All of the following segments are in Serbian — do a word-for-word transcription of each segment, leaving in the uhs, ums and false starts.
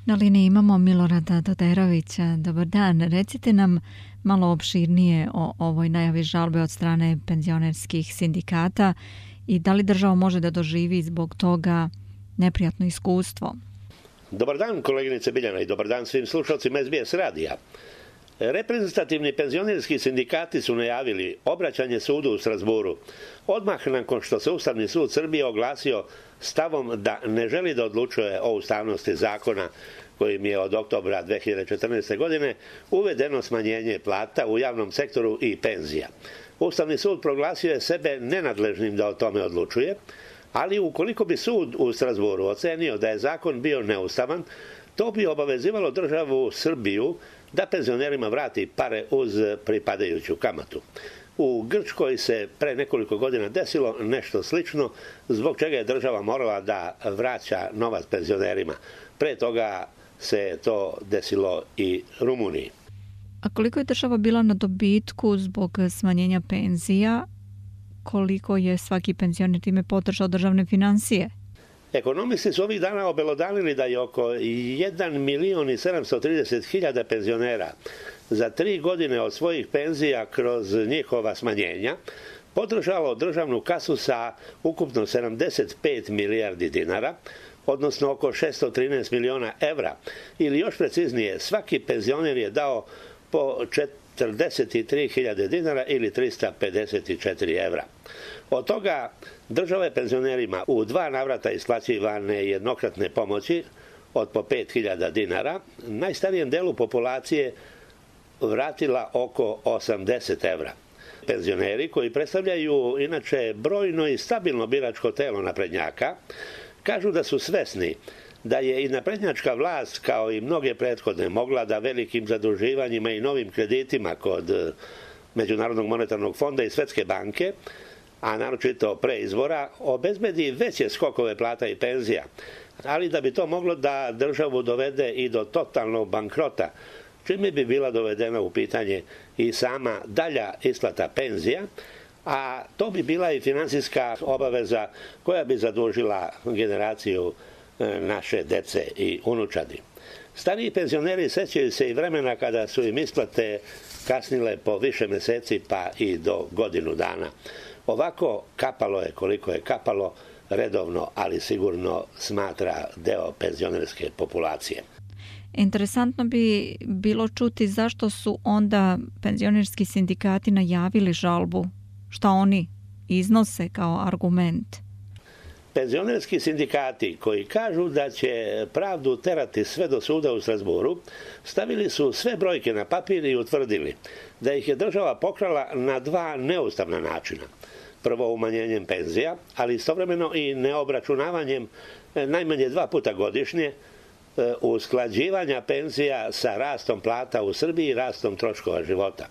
Na liniji imamo Milorada Doderovića. Dobar dan. Recite nam malo opširnije o ovoj najavi žalbe od strane penzionerskih sindikata i da li država može da doživi zbog toga neprijatno iskustvo? Dobar dan, koleginice Biljana, i dobar dan svim slušalcima S B S radija. Reprezentativni penzionerski sindikati su najavili obraćanje sudu u Strazburu odmah nakon što se Ustavni sud Srbije oglasio stavom da ne želi da odlučuje o ustavnosti zakona kojim je od oktobra dve hiljade četrnaeste. godine uvedeno smanjenje plata u javnom sektoru i penzija. Ustavni sud proglasio je sebe nenadležnim da o tome odlučuje, ali ukoliko bi sud u Strazburu ocenio da je zakon bio neustavan, to bi obavezivalo državu Srbiju da penzionerima vrati pare uz pripadajuću kamatu. U Grčkoj se pre nekoliko godina desilo nešto slično, zbog čega je država morala da vraća novac penzionerima. Pre toga se to desilo i Rumuniji. A koliko je država bila na dobitku zbog smanjenja penzija? Koliko je svaki penzioner time podržao državne finansije? Ekonomisti su ovih dana obelodanili da je oko jedan milion i sedamsto trideset hiljada penzionera za tri godine od svojih penzija kroz njihova smanjenja podržalo državnu kasu sa ukupno sedamdeset pet milijardi dinara, odnosno oko šesto trinaest miliona evra, ili još preciznije, svaki penzioner je dao po četrdeset tri hiljade dinara ili trista pedeset četiri evra. Od toga država je penzionerima u dva navrata isplaćivane jednokratne pomoći od po pet hiljada dinara, najstarijem delu populacije vratila oko osamdeset evra. Penzioneri, koji predstavljaju inače brojno i stabilno biračko telo naprednjaka, kažu da su svesni da je i naprednjačka vlast, kao i mnoge prethodne, mogla da velikim zaduživanjima i novim kreditima kod Međunarodnog monetarnog fonda i Svetske banke, a naročito pre izbora, obezbedi veće skokove plata i penzija, ali da bi to moglo da državu dovede i do totalnog bankrota, čime bi bila dovedena u pitanje i sama dalja isplata penzija, a to bi bila i finansijska obaveza koja bi zadužila generaciju naše dece i unučadi. Stariji penzioneri sećaju se i vremena kada su im isplate kasnile po više meseci pa i do godinu dana. Ovako kapalo je koliko je kapalo, redovno, ali sigurno smatra deo penzionerske populacije. Interesantno bi bilo čuti zašto su onda penzionerski sindikati najavili žalbu. Šta oni iznose kao argument? Penzionerski sindikati, koji kažu da će pravdu terati sve do suda u Strazburu, stavili su sve brojke na papir i utvrdili da ih je država pokrala na dva neustavna načina. Prvo umanjenjem penzija, ali istovremeno i neobračunavanjem najmanje dva puta godišnje usklađivanja penzija sa rastom plata u Srbiji i rastom troškova života.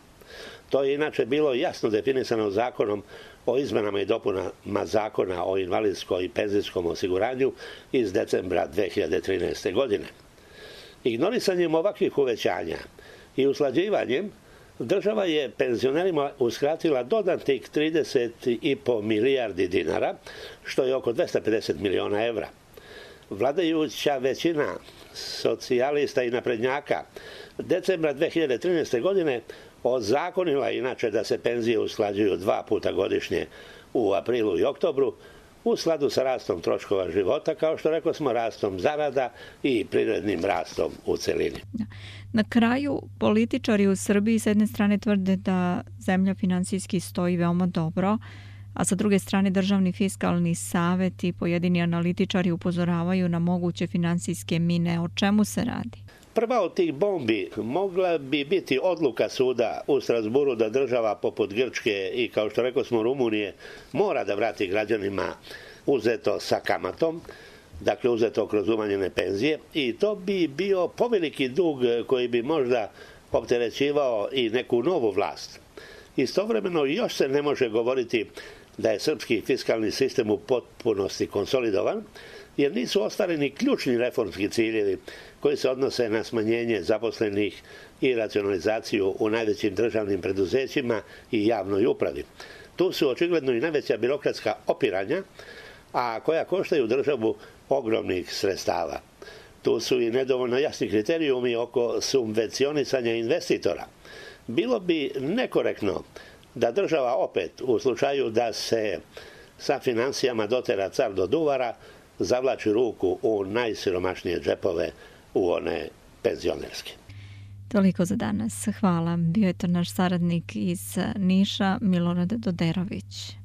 To je inače bilo jasno definisano zakonom o izmenama i dopunama zakona o invalidskom i penzijskom osiguranju iz decembra dve hiljade trinaeste. godine. Ignorisanjem ovakvih uvećanja i usklađivanjem, država je penzionerima uskratila dodatnih trideset i po milijardi dinara, što je oko dvesta pedeset miliona evra. Vladajuća većina socijalista i naprednjaka decembra dve hiljade trinaeste. godine ozakonila inače da se penzije usklađuju dva puta godišnje u aprilu i oktobru u skladu sa rastom troškova života, kao što rekao smo, rastom zarada i privrednim rastom u celini. Na kraju, političari u Srbiji s jedne strane tvrde da zemlja finansijski stoji veoma dobro, a sa druge strane Državni fiskalni savet i pojedini analitičari upozoravaju na moguće finansijske mine. O čemu se radi? Prva od tih bombi mogla bi biti odluka suda u Strazburu da država poput Grčke i, kao što rekao smo, Rumunije mora da vrati građanima uzeto sa kamatom, dakle uzeto kroz umanjene penzije, i to bi bio poveliki dug koji bi možda opterećivao i neku novu vlast. Istovremeno još se ne može govoriti da je srpski fiskalni sistem u potpunosti konsolidovan, jer nisu ostvareni ključni reformski ciljevi koji se odnose na smanjenje zaposlenih i racionalizaciju u najvećim državnim preduzećima i javnoj upravi. Tu su očigledno i najveća birokratska opiranja, a koja koštaju državu ogromnih sredstava. Tu su i nedovoljno jasni kriterijumi oko subvencionisanja investitora. Bilo bi nekorektno da država opet, u slučaju da se sa financijama dotera car do duvara, zavlači ruku u najsiromašnije džepove, u one penzionerske. Toliko za danas. Hvala. Bio je to naš saradnik iz Niša, Milorad Doderović.